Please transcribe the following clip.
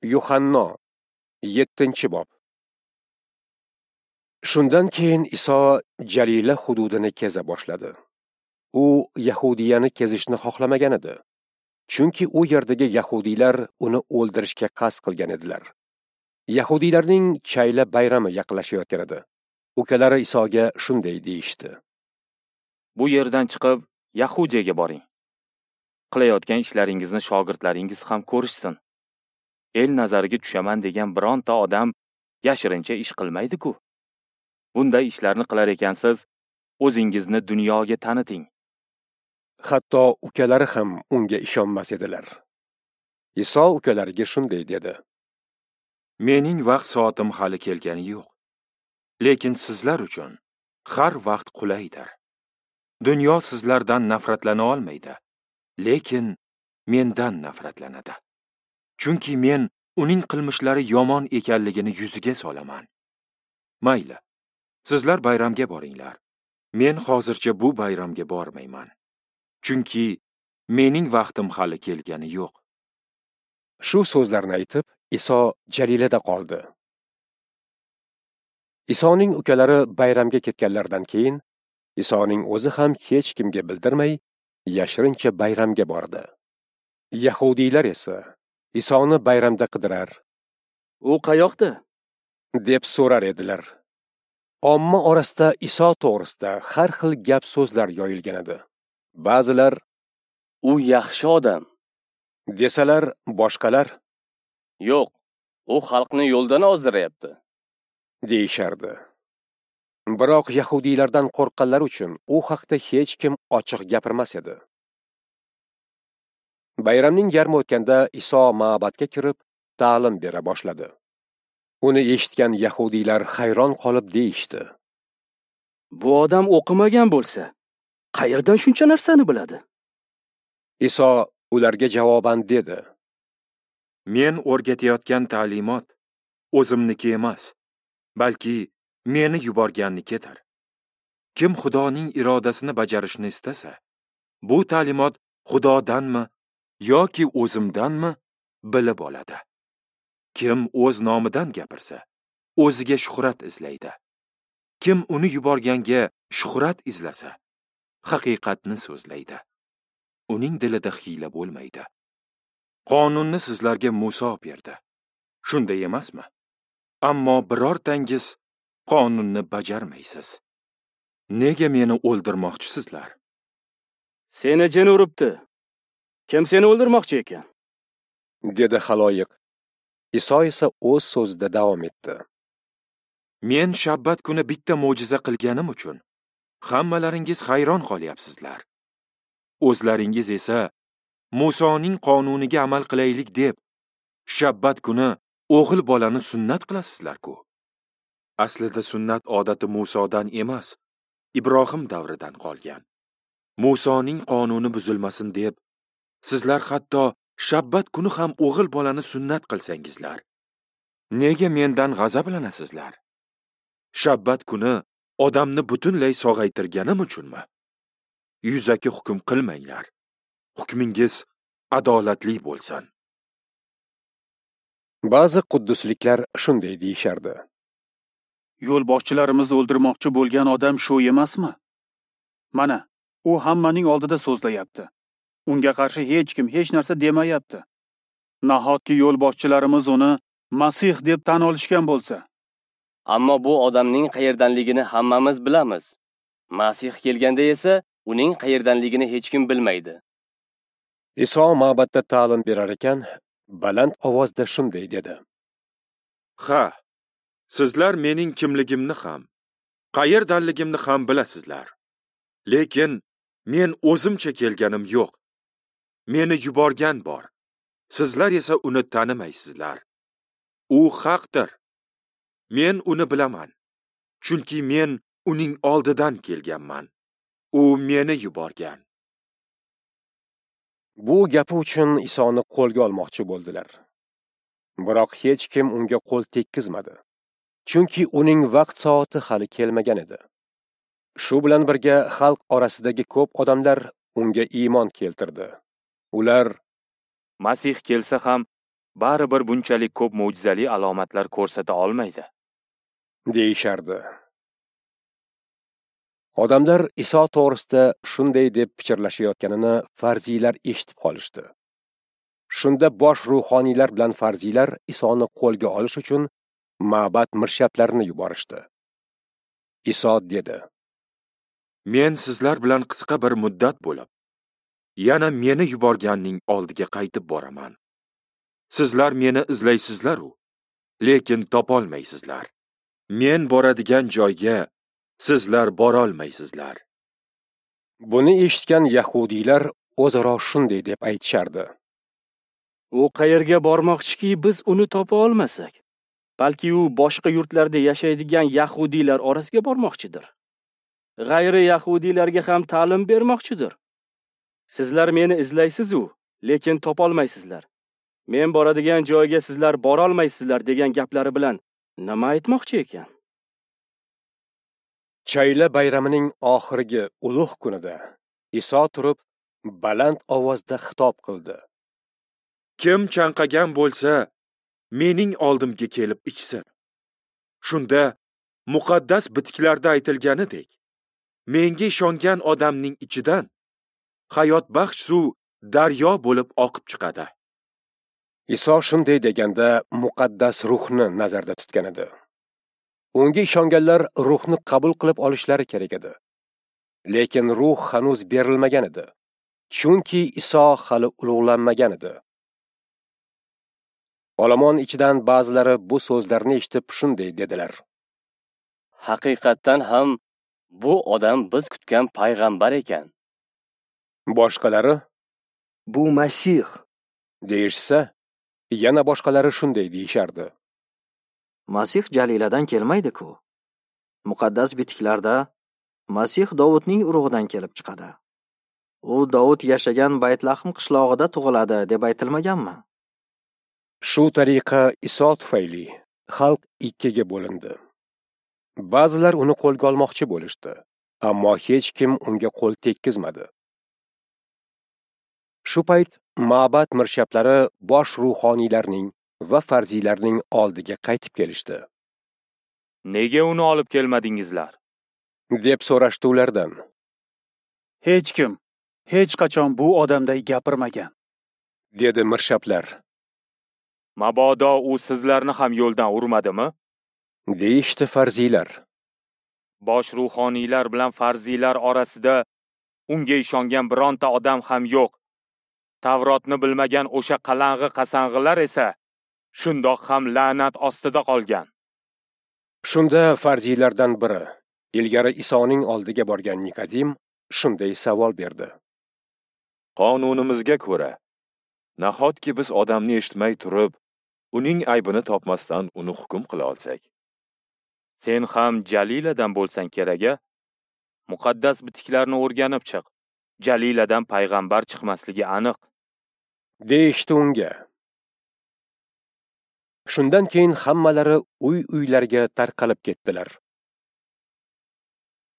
Yuhanno 7-bob. Shundan keyin Iso Jalila hududini keza boshladi. U Yahudiyani kezishni xohlamagan edi. Chunki u yerdagi yahudiylar uni o'ldirishga qasd qilgan edilar. Yahudiylarning chayla bayrami yaqinlashayotgan edi. Ukalari Isoga shunday deyishdi: Bu yerdan chiqib Yahudiyaga boring. Qilayotgan ishlaringizni shogirdlaringiz ham ko'rishsin. El nazariga tushaman degan bironta odam yashirincha ish qilmaydi-ku. Bunday ishlarni qilar ekansiz, o'zingizni dunyoga taniting. Hatto ukalari ham unga ishonmas edilar. Iso ukalariga shunday dedi: Mening vaqt soatim hali kelgani yo'q. Lekin sizlar uchun har vaqt qulaydir. Dunyo sizlardan nafratlana olmaydi, lekin mendan nafratlanadi. Chunki men uning qilmishlari yomon ekanligini yuziga solaman. Mayli, sizlar bayramga boringlar. Men hozircha bu bayramga bormayman. Chunki mening vaqtim hali kelgani yo'q. Shu so'zlarni aytib, Iso Jalilada qoldi. Isoning ukalari bayramga ketganlaridan keyin Isoning o'zi ham hech kimga bildirmay yashirincha bayramga bordi. Yahudiylar esa Isoni bayramda qidirar. U qayoqda? Deb so'rar edilar. Omma orasida Iso to'g'risida har xil gap so'zlar yoyilgan edi. Ba'zilar u yaxshi odam desalar, boshqalar yo'q, u xalqni yo'ldan ozdiryapti deyishardi. Biroq yahudiylardan qo'rqqanlar uchun u haqda hech kim ochiq gapirmas edi. Bayramning yarmi o'tganda Iso ma'badga kirib ta'lim bera boshladi. Uni eshitgan yahudiylar hayron qolib deyishdi: Bu odam o'qimagan bo'lsa, qayerdan shuncha narsani biladi? Iso ularga javoban dedi: Men o'rgatayotgan ta'limot o'zimniki emas, balki meni yuborgannikidir. Kim Xudoning irodasini bajarishni istasa, bu ta'limot Xudodanmi yoki o'zimdanmi bilib oladi. Kim o'z nomidan gapirsa, o'ziga shuhrat izlaydi. Kim uni yuborganga shuhrat izlasa, haqiqatni so'zlaydi. Uning dilida hiyla bo'lmaydi. Qonunni sizlarga Muso berdi. Shunday emasmi? Ammo birortangiz qonunni bajarmaysiz. Nega meni o'ldirmoqchisizlar? Seni jin uribdi. Kim seni o'ldirmoqchi ekan? Dedi xaloyiq. Iso esa o'z so'zida davom etdi. Men shabbat kuni bitta mo'jiza qilganim uchun hammalaringiz hayron qolyapsizlar. O'zlaringiz esa Musoning qonuniga amal qilaylik deb shabbat kuni o'g'il bolani sunnat qilasizlar-ku. Aslida sunnat odati Musodan emas, Ibrohim davridan qolgan. Musoning qonuni buzilmasin deb sizlar hatto shabbat kuni ham o'g'il bolani sunnat qilsangizlar, nega mendan g'azablanasizlar? Shabbat kuni odamni butunlay sog'aytirganim uchunmi? Yuzaki hukm qilmanglar. Hukmingiz adolatli bo'lsin. Ba'zi quddusliklar shunday deyishardi: Yo'lboshchilarimizni o'ldirmoqchi bo'lgan odam shu emasmi? Mana, u hammaning oldida so'zlayapti. Unga qarshi hech kim hech narsa demayapti. Nahotki yo'lboshchilarimiz uni Masih deb tan olishgan bo'lsa? Ammo bu odamning qayerdanligini hammamiz bilamiz. Masih kelganda esa uning qayerdanligini hech kim bilmaydi. Iso ma'badda ta'lim berar ekan, baland ovozda shunday dedi: Ha, sizlar mening kimligimni ham, qayerdanligimni ham bilasizlar. Lekin men o'zimcha kelganim yo'q. Meni yuborgan bor. Sizlar esa uni tanimaysizlar. U haqdir. Men uni bilaman. Chunki men uning oldidan kelganman. U meni yuborgan. Bu gapi uchun Isoni qo'lga olmoqchi bo'ldilar. Biroq hech kim unga qo'l tekkizmadi. Chunki uning vaqt soati hali kelmagan edi. Shu bilan birga xalq orasidagi ko'p odamlar unga iymon keltirdi. Ular Masih kelsa ham baribir bunchalik ko'p mo'jizali alomatlar ko'rsata olmaydi, deyishardi. Odamlar Iso to'g'risida shunday deb pichirlashayotganini farziylar eshitib qolishdi. Shunda bosh ruhoniylar bilan farziylar Isoni qo'lga olish uchun ma'bad mirshablarini yuborishdi. Iso dedi: Men sizlar bilan qisqa bir muddat bo'lib, yana meni yuborganning oldiga qaytib boraman. Sizlar meni izlaysizlar-u, lekin topolmaysizlar. Men boradigan joyga sizlar borolmaysizlar. Buni eshitgan yahudiylar o'zaro shunday deb aytishardi: U qayerga bormoqchiki, biz uni topa olmasak? Balki u boshqa yurtlarda yashaydigan yahudiylar orasiga bormoqchidir. G'ayri yahudiylarga ham ta'lim bermoqchidir. Sizlar meni izlaysiz-u, lekin topolmaysizlar. Men boradigan joyga sizlar borolmaysizlar degan gaplari bilan nima aytmoqchi ekan? Chayla bayramining oxirgi ulug' kunida Iso turib baland ovozda xitob qildi: Kim chanqagan bo'lsa, mening oldimga kelib ichsin. Shunda muqaddas bitiklarda aytilganidek, menga ishongan odamning ichidan hayotbaxsh suv daryo bo'lib oqib chiqadi. Iso shunday deganda muqaddas ruhni nazarda tutgan edi. Unga ishonganlar ruhni qabul qilib olishlari kerak edi. Lekin ruh hanuz berilmagan edi, chunki Iso hali ulug'lanmagan edi. Olomon ichidan ba'zilari bu so'zlarni eshitib shunday dedilar: Haqiqatdan ham bu odam biz kutgan payg'ambar ekan. Boshqalari: Bu Masih, deyishsa, yana boshqalari shunday deyishardi: Masih Jaliladan kelmaydi-ku. Muqaddas bitiklarda Masih Dovudning urug'idan kelib chiqadi. U Dovud yashagan Baytlahm qishlog'ida tug'iladi deb aytilmaganmi? Shu tariqa Iso tufayli xalq ikkiga bo'lindi. Ba'zilar uni qo'lga olmoqchi bo'lishdi, ammo hech kim unga qo'l tekkizmadi. Shu payt ma'bad mirshablari bosh ruhoniylarning va farziylarning oldiga qaytib kelishdi. Nega uni olib kelmadingizlar? Deb so'rashdi ulardan. Hech kim hech qachon bu odamday gapirmagan, dedi mirshablar. Mabodo u sizlarni ham yo'ldan urmadimi? Deyishdi farziylar. Bosh ruhoniylar bilan farziylar orasida unga ishongan bironta odam ham yo'q. Tavrotni bilmagan o'sha qalang'i-qasang'ilar esa shundoq ham la'nat ostida qolgan. Shunda farziylardan biri, ilgari Isoning oldiga borgan Nikodim shunday savol berdi: Qonunimizga ko'ra, nahotki biz odamni eshitmay turib, uning aybini topmasdan uni hukm qila olsak? Sen ham Jaliladan bo'lsang kerak-a? Muqaddas bitiklarni o'rganib chiq. Jaliladan payg'ambar chiqmasligi aniq, deyishdi unga. Shundan keyin hammalari uy-uylariga tarqalib ketdilar.